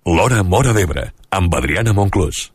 L'Hora Móra d'Ebre, amb Adriana Monclús.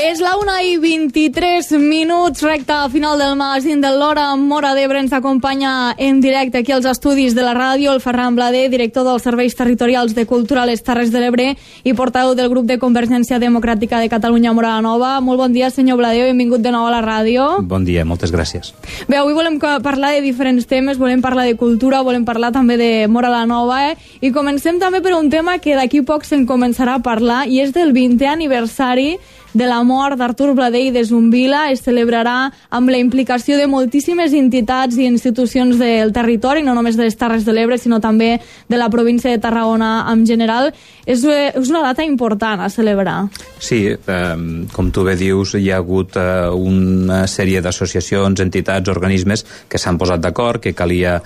És la 1:23, recta final del magazín de l'Hora Móra d'Ebre. Ens acompanya en directe aquí als estudis de la ràdio el Ferran Blader, director dels Serveis Territorials de Cultura a les Terres de l'Ebre i portaveu del grup de Convergència Democràtica de Catalunya Móra la Nova. Molt bon dia, senyor Blader, benvingut de nou a la ràdio. Bon dia, moltes gràcies. Bé, avui volem parlar de diferents temes, volem parlar de cultura, volem parlar també de Móra la Nova, i comencem també per un tema que d'aquí poc se'n començarà a parlar, i és del 20è aniversari de la mort d'Artur Blader i de Zumbila. Es celebrarà amb la implicació de moltíssimes entitats i institucions del territori, no només de les Terres de l'Ebre, sinó també de la província de Tarragona en general. És una data important a celebrar. Sí, com tu bé dius, hi ha hagut una sèrie d'associacions, entitats, organismes que s'han posat d'acord que calia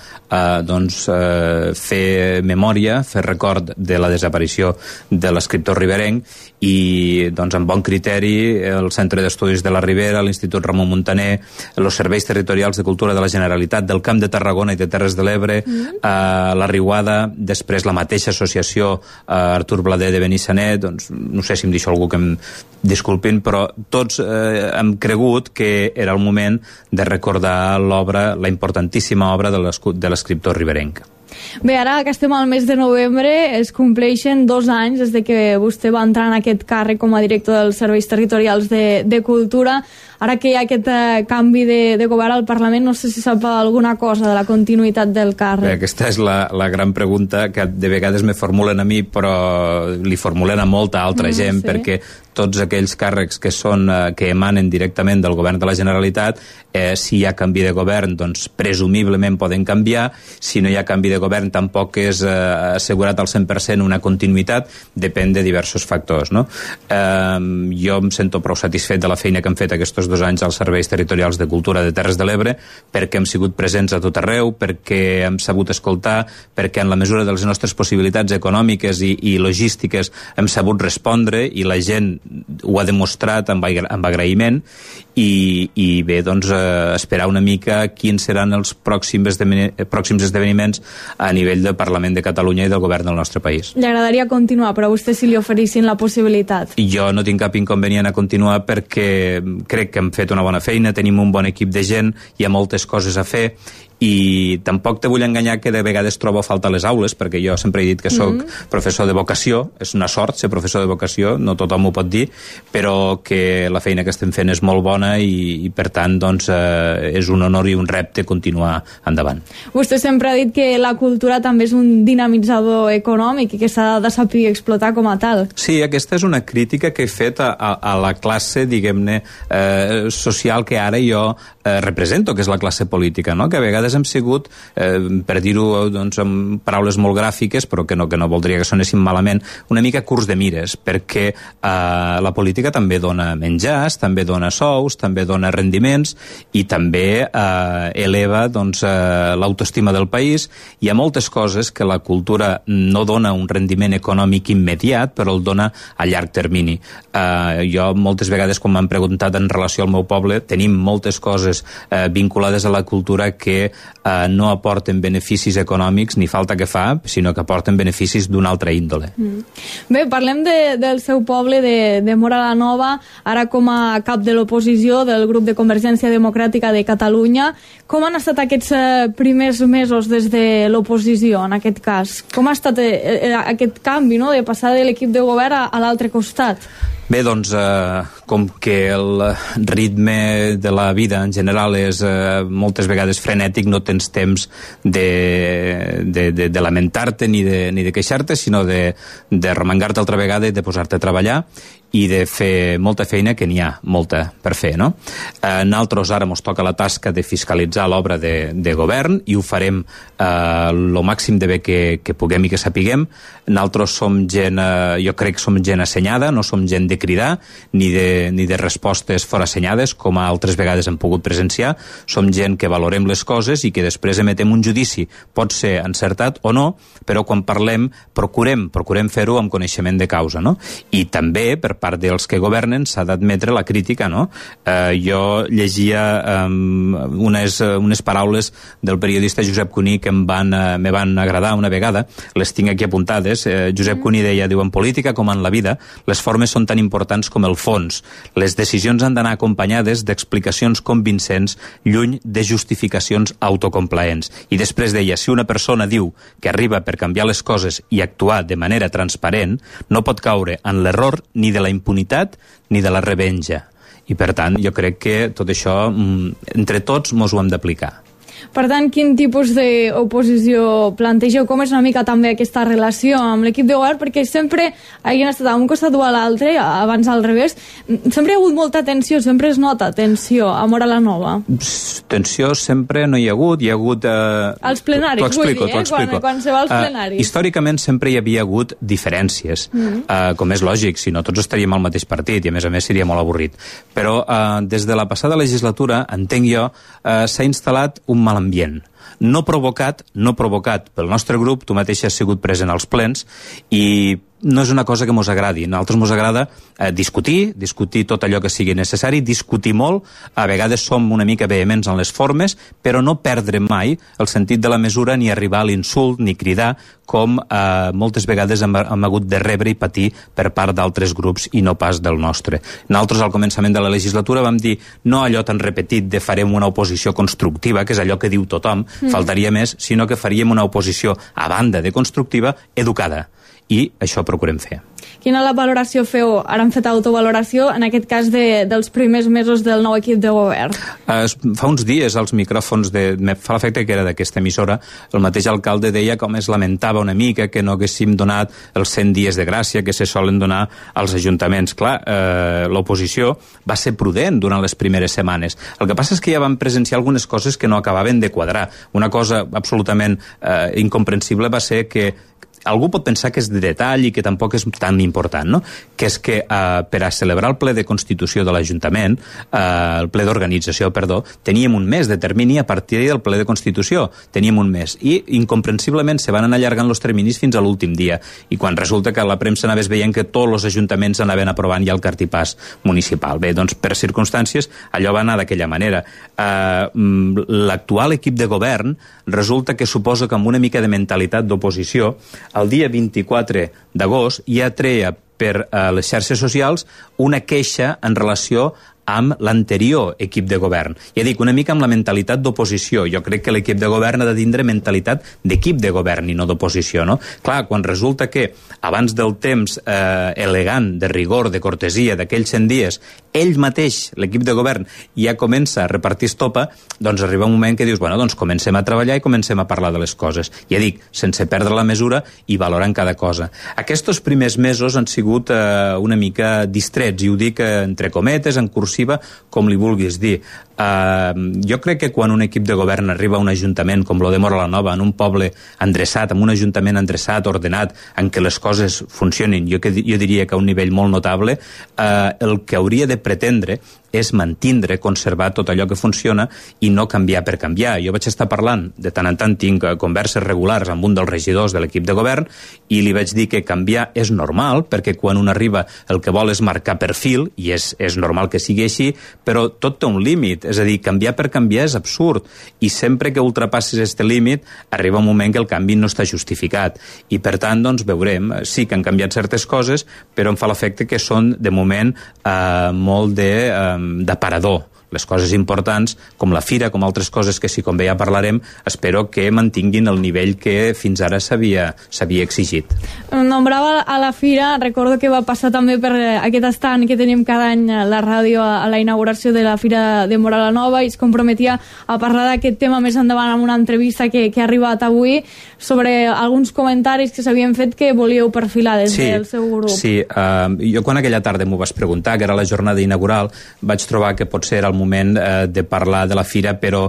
fer memòria, fer record de la desaparició de l'escriptor riberenc, i amb bon criteri el Centre d'Estudis de la Ribera, l'Institut Ramon Muntaner, els Serveis Territorials de Cultura de la Generalitat del Camp de Tarragona i de Terres de l'Ebre, la Riuada, després la mateixa associació Artur Blader de Benissanet, no sé si em deixo algú que em disculpin, però tots hem cregut que era el moment de recordar l'obra, la importantíssima obra de l'escriptor riberenc. Bé, ara que estem al mes de novembre, es compleixen 2 anys des de que vostè va entrar en aquest càrrec com a director dels Serveis Territorials de Cultura. Ara que hi ha aquest canvi de govern al Parlament, no sé si sap alguna cosa de la continuïtat del càrrec. Bé, aquesta és la gran pregunta que de vegades me formulen a mi, però li formulen a molta altra gent, sí. Perquè tots aquells càrrecs que emanen directament del govern de la Generalitat, si hi ha canvi de govern, doncs presumiblement poden canviar. Si no hi ha canvi de govern, tampoc és assegurat al 100% una continuïtat, depèn de diversos factors, no? Jo em sento prou satisfet de la feina que hem fet aquests 2 anys als Serveis Territorials de Cultura de Terres de l'Ebre, perquè hem sigut presents a tot arreu, perquè hem sabut escoltar, perquè en la mesura de les nostres possibilitats econòmiques i logístiques hem sabut respondre, i la gent ho ha demostrat amb agraïment. I bé, esperar una mica quins seran els pròxims esdeveniments a nivell del Parlament de Catalunya i del govern del nostre país. Li agradaria continuar, però a vostè si li oferissin la possibilitat? Jo no tinc cap inconvenient a continuar, perquè crec que hem fet una bona feina, tenim un bon equip de gent, hi ha moltes coses a fer, i tampoc te vull enganyar que de vegades trobo a falta les aules, perquè jo sempre he dit que sóc professor de vocació. És una sort ser professor de vocació, no tothom ho pot dir, però que la feina que estem fent és molt bona, i per tant és un honor i un repte continuar endavant. Vostè sempre ha dit que la cultura també és un dinamitzador econòmic i que s'ha de saber explotar com a tal. Sí, aquesta és una crítica que he fet a la classe, diguem-ne, social que ara jo represento, que és la classe política, no? Que a vegades hem sigut, per dir-ho amb paraules molt gràfiques, però que no voldria que sonessin malament, una mica curts de mires, perquè la política també dona menjars, també dona sous, també dona rendiments, i també eleva l'autoestima del país. Hi ha moltes coses que la cultura no dona un rendiment econòmic immediat, però el dona a llarg termini. Jo moltes vegades, quan m'han preguntat en relació al meu poble, tenim moltes coses vinculades a la cultura que no aporten beneficis econòmics, ni falta que fa, sinó que aporten beneficis d'una altra índole. Bé, parlem del seu poble, de Móra la Nova, ara com a cap de l'oposició del grup de Convergència Democràtica de Catalunya. Com han estat aquests primers mesos des de l'oposició, en aquest cas? Com ha estat aquest canvi, no?, de passar de l'equip de govern a l'altre costat? Bé, com que el ritme de la vida en general és moltes vegades frenètic, no tens temps de lamentar-te ni de queixar-te, sinó de remengar-te altra vegada i de posar-te a treballar i de fer molta feina, que n'hi ha molta per fer, no? Nosaltres ara ens toca la tasca de fiscalitzar l'obra de govern, i ho farem lo màxim de bé que puguem i que sapiguem. Nosaltres som gent, jo crec que som gent assenyada, no som gent de cridar ni de respostes forassenyades, com altres vegades hem pogut presenciar. Som gent que valorem les coses i que després emetem un judici. Pot ser encertat o no, però quan parlem procurem fer-ho amb coneixement de causa, no? I també, per part dels que governen s'ha d'admetre la crítica, no? Jo llegia unes paraules del periodista Josep Cuní que me van agradar una vegada, les tinc aquí apuntades. Josep Cuní deia, diu, en política com en la vida, les formes són tan importants com el fons. Les decisions han d'anar acompanyades d'explicacions convincents, lluny de justificacions autocomplaents. I després deia, si una persona diu que arriba per canviar les coses i actuar de manera transparent, no pot caure en l'error ni de la impunitat ni de la revenja. I per tant, jo crec que tot això, entre tots, mos ho hem d'aplicar. Per tant, quin tipus d'oposició plantegeu? Com és una mica també aquesta relació amb l'equip de govern? Perquè sempre hagin estat a un costat o a l'altre, abans al revés. Sempre hi ha hagut molta tensió, sempre es nota tensió a Móra la Nova. Tensió sempre no hi ha hagut. Els plenaris, vull dir, quan se va als plenaris. Històricament sempre hi havia hagut diferències, com és lògic, si no tots estaríem al mateix partit i a més seria molt avorrit. Però des de la passada legislatura, entenc jo, s'ha instal·lat un mal ambient. No provocat pel nostre grup, tu mateix has sigut present als plens, i no és una cosa que mos agradi. A nosaltres mos agrada discutir tot allò que sigui necessari, discutir molt, a vegades som una mica vehements en les formes, però no perdre mai el sentit de la mesura ni arribar a l'insult ni cridar, com moltes vegades hem hagut de rebre i patir per part d'altres grups i no pas del nostre. Nosaltres al començament de la legislatura vam dir no allò tan repetit de farem una oposició constructiva, que és allò que diu tothom, faltaria més, sinó que faríem una oposició, a banda de constructiva, educada. I això procurem fer. Quina la valoració feu? Ara hem fet autovaloració, en aquest cas dels primers mesos del nou equip de govern. Fa uns dies als micròfons, fa l'efecte que era d'aquesta emissora, el mateix alcalde deia com es lamentava una mica que no haguéssim donat els 100 dies de gràcia que se solen donar als ajuntaments. Clar, l'oposició va ser prudent durant les primeres setmanes. El que passa és que ja vam presenciar algunes coses que no acabaven de quadrar. Una cosa absolutament incomprensible va ser que algú pot pensar que és de detall i que tampoc és tan important, no? Que és que per a celebrar el ple de Constitució de l'Ajuntament, el ple d'organització, perdó, teníem un mes de termini a partir del ple de Constitució. Teníem un mes. I, incomprensiblement, se van anar allargant els terminis fins a l'últim dia. I quan resulta que a la premsa anaves veient que tots els ajuntaments anaven aprovant ja el cartipàs municipal. Bé, doncs, per circumstàncies, allò va anar d'aquella manera. L'actual equip de govern resulta que suposa que amb una mica de mentalitat d'oposició, el dia 24 d'agost ja treia per les xarxes socials una queixa en relació amb l'anterior equip de govern. Ja dic, una mica amb la mentalitat d'oposició. Jo crec que l'equip de govern ha de tindre mentalitat d'equip de govern i no d'oposició, no? Clar, quan resulta que abans del temps elegant, de rigor, de cortesia, d'aquells 100 dies, ell mateix, l'equip de govern, ja comença a repartir estopa, doncs arriba un moment que dius, bueno, doncs comencem a treballar i comencem a parlar de les coses. Ja dic, sense perdre la mesura i valorant cada cosa. Aquests primers mesos han sigut una mica distrets, i ho dic entre cometes, en cursiva, com li vulguis dir. Jo crec que quan un equip de govern arriba a un ajuntament com lo de Móra la Nova, en un poble endreçat, en un ajuntament endreçat, ordenat, en què les coses funcionin, jo diria que a un nivell molt notable, el que hauria de pretendre és mantindre, conservar tot allò que funciona i no canviar per canviar. Jo vaig estar parlant, de tant en tant tinc converses regulars amb un dels regidors de l'equip de govern i li vaig dir que canviar és normal, perquè quan un arriba el que vol és marcar perfil, i és normal que sigui així, però tot té un límit, és a dir, canviar per canviar és absurd, i sempre que ultrapassis aquest límit arriba un moment que el canvi no està justificat, i per tant, doncs, veurem, sí que han canviat certes coses, però em fa l'efecte que són, de moment, molt d'aparador. Les coses importants, com la fira, com altres coses que sí, com bé ja parlarem, espero que mantinguin el nivell que fins ara s'havia exigit. Nombrava a la fira, recordo que va passar també per aquest estand que tenim cada any a la ràdio a la inauguració de la Fira de Móra la Nova, i es comprometia a parlar d'aquest tema més endavant amb una entrevista que ha arribat avui sobre alguns comentaris que s'havien fet que volíeu perfilar des del seu grup. Sí, jo quan aquella tarda m'ho vas preguntar, que era la jornada inaugural, vaig trobar que potser era el moment de parlar de la fira, però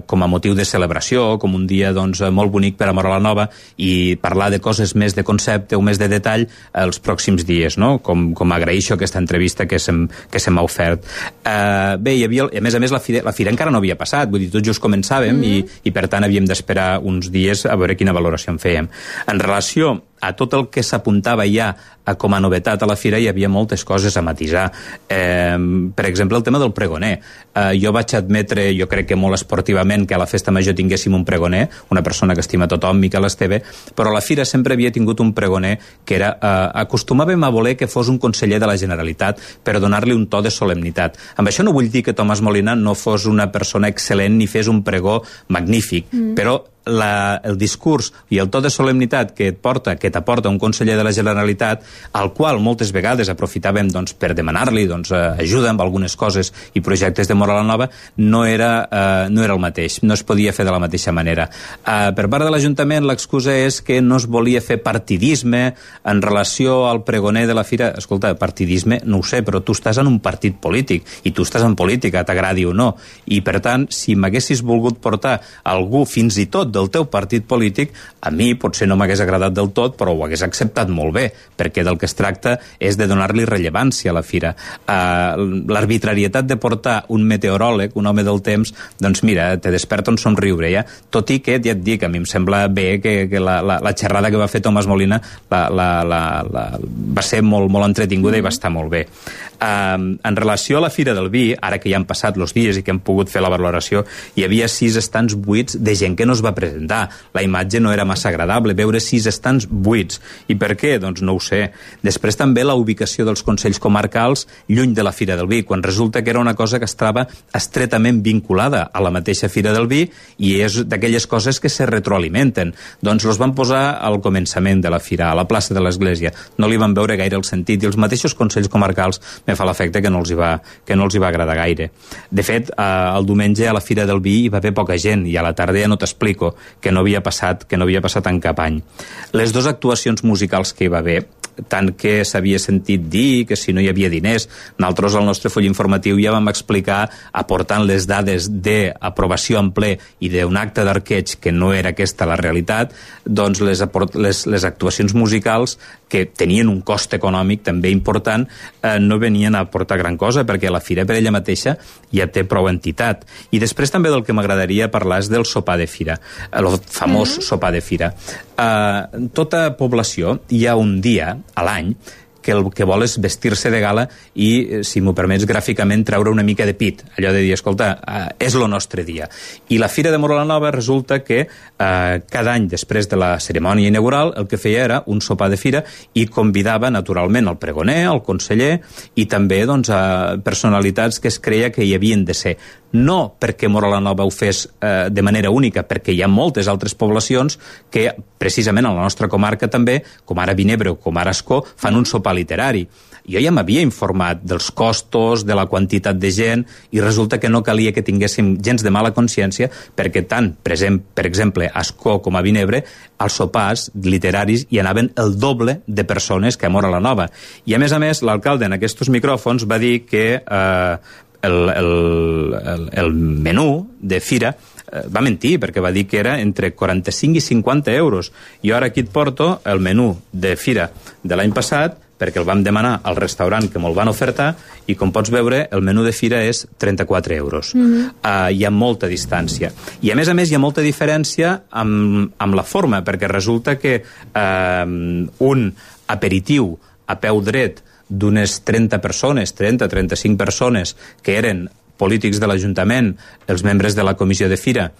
com a motiu de celebració, com un dia doncs, molt bonic per a Móra la Nova, i parlar de coses més de concepte o més de detall els pròxims dies, no? Com agraeixo aquesta entrevista que se m'ha ofert. Bé, hi havia, a més, la fira encara no havia passat, vull dir, tot just començàvem i per tant havíem d'esperar uns dies a veure quina valoració en fèiem. En relació a tot el que s'apuntava ja com a novetat a la fira hi havia moltes coses a matisar. Per exemple, el tema del pregoner. Jo vaig admetre, jo crec que molt esportivament, que a la festa major tinguéssim un pregoner, una persona que estima tothom, Miquel Esteve, però a la fira sempre havia tingut un pregoner que era... acostumàvem a voler que fos un conseller de la Generalitat per donar-li un to de solemnitat. Amb això no vull dir que Tomàs Molina no fos una persona excel·lent ni fes un pregó magnífic, però el discurs i el to de solemnitat que t'aporta un conseller de la Generalitat, al qual moltes vegades aprofitàvem per demanar-li ajuda amb algunes coses i projectes de Móra la Nova, no era el mateix, no es podia fer de la mateixa manera. Per part de l'Ajuntament l'excusa és que no es volia fer partidisme en relació al pregoner de la fira. Escolta, partidisme no ho sé, però tu estàs en un partit polític i tu estàs en política, t'agradi o no, i per tant, si m'haguessis volgut portar algú fins i tot del teu partit polític, a mi potser no m'hagués agradat del tot, però ho hagués acceptat molt bé, perquè del que es tracta és de donar-li rellevància a la fira. L'arbitrarietat de portar un meteoròleg, un home del temps, doncs mira, te desperta un somriure, ja? Tot i que, ja et dic, a mi em sembla bé que la xerrada que va fer Tomàs Molina va ser molt, molt entretinguda i va estar molt bé. En relació a la Fira del Vi, ara que ja han passat els dies i que hem pogut fer la valoració, hi havia 6 estants buits de gent que no es va presentar. La imatge no era massa agradable, veure 6 estants buits. I per què? Doncs no ho sé. Després també la ubicació dels consells comarcals lluny de la Fira del Vi, quan resulta que era una cosa que estava estretament vinculada a la mateixa Fira del Vi i és d'aquelles coses que se retroalimenten. Doncs els van posar al començament de la Fira, a la plaça de l'Església. No li van veure gaire el sentit i els mateixos consells comarcals me fa l'efecte que no els hi va agradar gaire. De fet, el diumenge a la Fira del Vi hi va haver poca gent i a la tarda ja no t'explico, que no havia passat en cap any. Les 2 actuacions musicals que hi va haver, tant que s'havia sentit dir que si no hi havia diners, nosaltres al nostre full informatiu ja vam explicar, aportant les dades d'aprovació en ple i d'un acte d'arqueig que no era aquesta la realitat, doncs les actuacions musicals que tenien un cost econòmic també important, no venien a aportar gran cosa, perquè la fira per ella mateixa ja té prou entitat. I després també del que m'agradaria parlar és del sopar de fira, el famós sopar de fira. Tota població hi ha un dia a l'any que el que vol és vestir-se de gala i, si m'ho permets gràficament, treure una mica de pit. Allò de dir, escolta, és el nostre dia. I la Fira de Móra la Nova resulta que cada any, després de la cerimònia inaugural, el que feia era un sopar de fira i convidava, naturalment, el pregoner, el conseller i també personalitats que es creia que hi havien de ser. No perquè Móra la Nova ho fes de manera única, perquè hi ha moltes altres poblacions que, precisament a la nostra comarca també, com ara Vinebre o com ara Ascó, fan un sopar literari. Jo ja m'havia informat dels costos, de la quantitat de gent, i resulta que no calia que tinguéssim gens de mala consciència, perquè tant, per exemple, a Ascó com a Vinebre, als sopars literaris hi anaven el doble de persones que a Móra la Nova. I a més, l'alcalde en aquests micròfons va dir que el menú de fira va mentir, perquè va dir que era entre 45 i 50 euros. Jo ara aquí et porto el menú de fira de l'any passat, perquè el vam demanar al restaurant que me'l van ofertar, i com pots veure, el menú de fira és 34 euros. Hi ha molta distància. I a més, hi ha molta diferència amb la forma, perquè resulta que un aperitiu a peu dret d'unes 30 persones, 30-35 persones, que eren polítics de l'Ajuntament, els membres de la comissió de fira,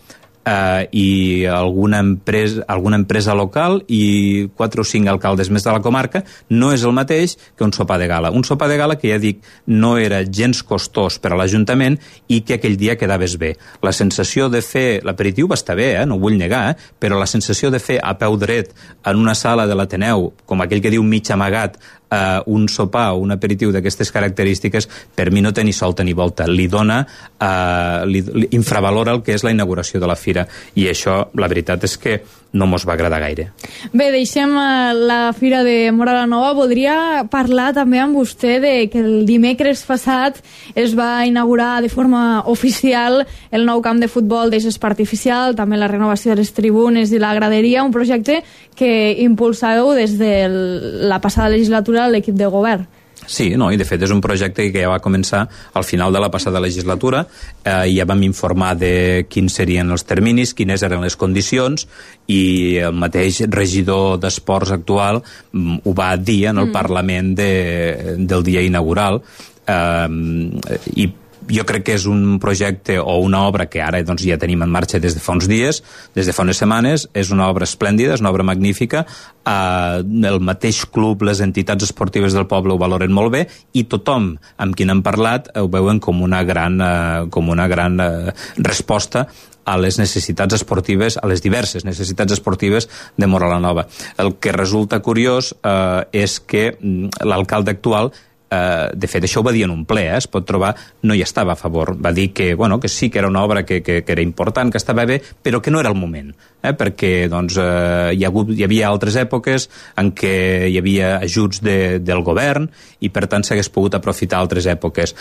i alguna empresa local i 4 o 5 alcaldes més de la comarca, no és el mateix que un sopar de gala. Un sopar de gala que, ja dic, no era gens costós per a l'Ajuntament i que aquell dia quedaves bé. La sensació de fer... L'aperitiu va estar bé, no ho vull negar, però la sensació de fer a peu dret en una sala de l'Ateneu, com aquell que diu mig amagat, un sopar o un aperitiu d'aquestes característiques, per mi no té ni solta ni volta. Li infravalora el que és la inauguració de la fira, i això, la veritat és que no mos va agradar gaire. Bé, deixem la Fira de Móra la Nova. Voldria parlar també amb vostè de que el dimecres passat es va inaugurar de forma oficial el nou camp de futbol de gespa artificial, també la renovació de les tribunes i la graderia, un projecte que impulsàveu des de la passada legislatura a l'equip de govern. Sí, no, i de fet és un projecte que ja va començar al final de la passada legislatura, ja vam informar de quins serien els terminis, quines eren les condicions, i el mateix regidor d'Esports actual ho va dir en el Parlament del dia inaugural, i jo crec que és un projecte o una obra que ara doncs, ja tenim en marxa des de fa uns dies, des de fa unes setmanes. És una obra esplèndida, és una obra magnífica. El mateix club, les entitats esportives del poble ho valoren molt bé, i tothom amb qui n'hem parlat ho veuen com una gran resposta a les necessitats esportives, a les diverses necessitats esportives de Móra la Nova. El que resulta curiós és que l'alcalde actual, de fet això ho va dir en un ple, es pot trobar, no hi estava a favor, va dir que, bueno, que sí que era una obra que era important, que estava bé, però que no era el moment, perquè doncs, hi havia altres èpoques en què hi havia ajuts del govern i per tant s'hagués pogut aprofitar altres èpoques.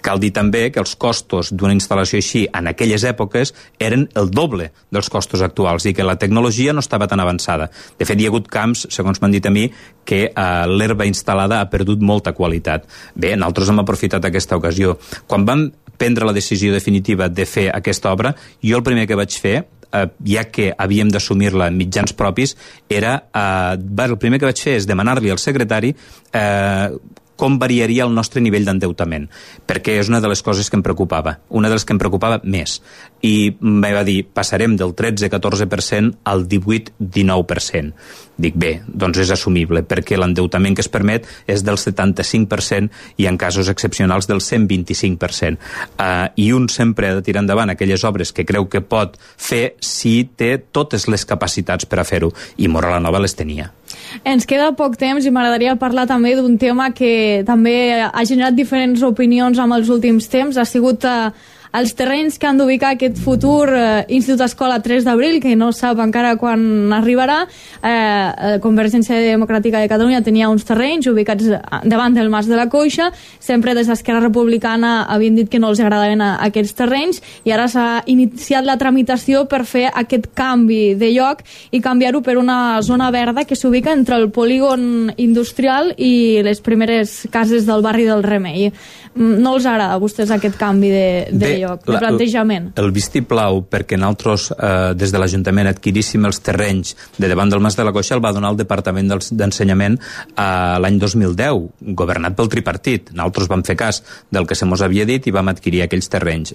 Cal dir també que els costos d'una instal·lació així en aquelles èpoques eren el doble dels costos actuals i que la tecnologia no estava tan avançada. De fet, hi ha hagut camps, segons m'han dit a mi, que l'herba instal·lada ha perdut molta qualitat. Bé, nosaltres hem aprofitat aquesta ocasió. Quan vam prendre la decisió definitiva de fer aquesta obra, jo el primer que vaig fer, ja que havíem d'assumir-la en mitjans propis, el primer que vaig fer és demanar-li al secretari com variaria el nostre nivell d'endeutament, perquè és una de les coses que em preocupava, una de les que em preocupava més. I em va dir, passarem del 13-14% al 18-19%. Dic, bé, doncs és assumible, perquè l'endeutament que es permet és del 75% i en casos excepcionals del 125%. I un sempre ha de tirar endavant aquelles obres que creu que pot fer si té totes les capacitats per a fer-ho, i Móra la Nova les tenia. Ens queda poc temps i m'agradaria parlar també d'un tema que també ha generat diferents opinions amb els últims temps. Ha sigut els terrenys que han d'ubicar aquest futur Institut Escola 3 d'Abril, que no sap encara quan arribarà. Convergència Democràtica de Catalunya tenia uns terrenys ubicats davant del Mas de la Coixa. Sempre des d'Esquerra Republicana havien dit que no els agradaven aquests terrenys, i ara s'ha iniciat la tramitació per fer aquest canvi de lloc i canviar-ho per una zona verda que s'ubica entre el polígon industrial i les primeres cases del barri del Remei. No els agrada a vostès aquest canvi de lloc, de plantejament? El vistiplau perquè nosaltres des de l'Ajuntament adquiríssim els terrenys de davant del Mas de la Coixa el va donar el Departament d'Ensenyament l'any 2010, governat pel tripartit. Nosaltres vam fer cas del que se mos havia dit i vam adquirir aquells terrenys.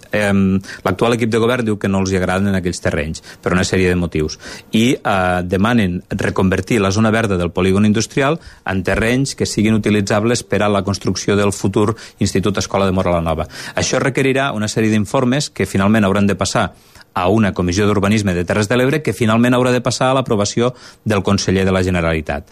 L'actual equip de govern diu que no els agraden aquells terrenys per una sèrie de motius, i demanen reconvertir la zona verda del polígon industrial en terrenys que siguin utilitzables per a la construcció del futur Institut Escola de Móra la Nova. Això requerirà una sèrie d'informes que finalment hauran de passar a una comissió d'urbanisme de Terres de l'Ebre, que finalment haurà de passar a l'aprovació del conseller de la Generalitat.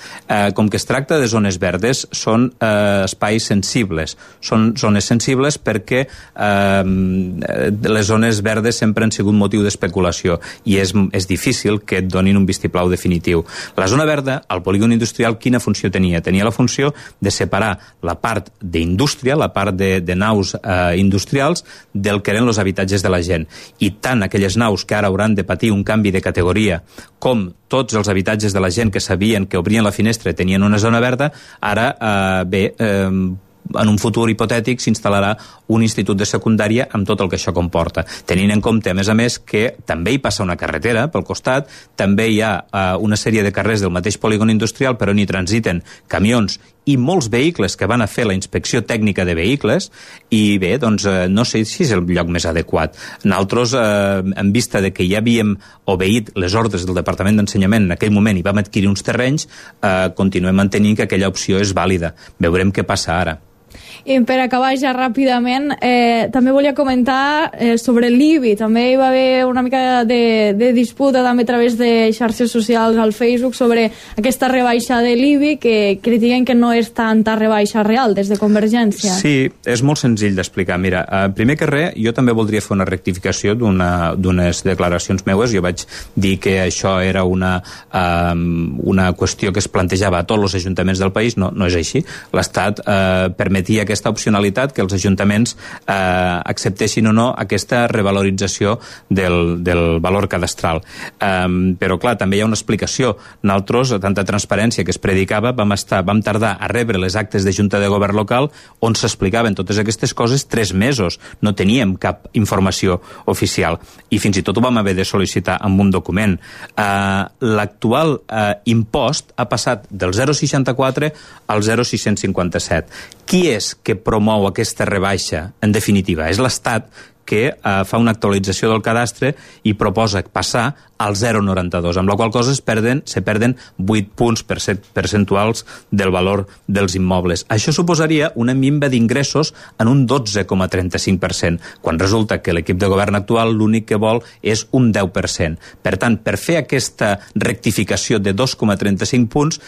Com que es tracta de zones verdes, són espais sensibles. Són zones sensibles perquè les zones verdes sempre han sigut motiu d'especulació i és difícil que et donin un vistiplau definitiu. La zona verda, al polígon industrial, quina funció tenia? Tenia la funció de separar la part d'indústria, la part de naus industrials, del que eren els habitatges de la gent. I tant aquelles naus que ara hauran de patir un canvi de categoria, com tots els habitatges de la gent que sabien que obrien la finestra tenien una zona verda, ara en un futur hipotètic s'instal·larà un institut de secundària amb tot el que això comporta, tenint en compte a més que també hi passa una carretera pel costat, també hi ha una sèrie de carrers del mateix polígon industrial per on hi transiten camions i molts vehicles que van a fer la inspecció tècnica de vehicles, i bé, doncs no sé si és el lloc més adequat. Nosaltres, en vista de que ja havíem obeït les ordres del Departament d'Ensenyament en aquell moment i vam adquirir uns terrenys, continuem mantenint que aquella opció és vàlida. Veurem què passa ara. I per acabar ja ràpidament, també volia comentar sobre l'IBI. També hi va haver una mica de disputa també a través de xarxes socials al Facebook sobre aquesta rebaixa de l'IBI, que critiquen que no és tanta rebaixa real des de Convergència. Sí, és molt senzill d'explicar. Mira, primer que res, jo també voldria fer una rectificació d'unes declaracions meues. Jo vaig dir que això era una qüestió que es plantejava a tots els ajuntaments del país. No és així. L'Estat permetia que aquesta opcionalitat que els ajuntaments acceptessin o no aquesta revalorització del valor cadastral. Però, clar, també hi ha una explicació. Nosaltres, tanta transparència que es predicava, vam tardar a rebre les actes de Junta de Govern local on s'explicaven totes aquestes coses 3 mesos. No teníem cap informació oficial. I fins i tot ho vam haver de sol·licitar amb un document. L'actual impost ha passat del 0,64 al 0,657. Qui és que promou aquesta rebaixa? En definitiva, és l'Estat que fa una actualització del cadastre i proposa passar al 0,92, amb la qual cosa se perden 8 punts percentuals del valor dels immobles. Això suposaria una minva d'ingressos en un 12,35%, quan resulta que l'equip de govern actual l'únic que vol és un 10%. Per tant, per fer aquesta rectificació de 2,35 punts,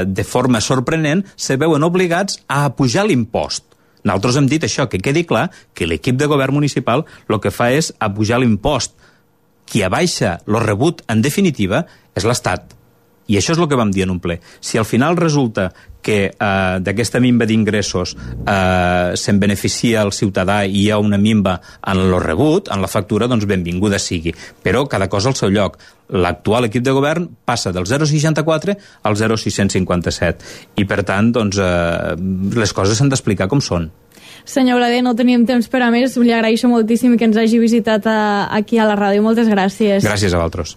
de forma sorprenent, se veuen obligats a apujar l'impost. Nosaltres hem dit això, que quedi clar que l'equip de govern municipal el que fa és apujar l'impost. Qui abaixa lo rebut, en definitiva, és l'Estat. I això és el que vam dir en un ple. Si al final resulta que d'aquesta minva d'ingressos se'n beneficia el ciutadà i hi ha una minva en lo rebut, en la factura, doncs benvinguda sigui. Però cada cosa al seu lloc. L'actual equip de govern passa del 0,64 al 0,657. I, per tant, doncs, les coses s'han d'explicar com són. Senyor Blader, no teníem temps per a més. Li agraeixo moltíssim que ens hagi visitat aquí a la ràdio. Moltes gràcies. Gràcies a vosaltres.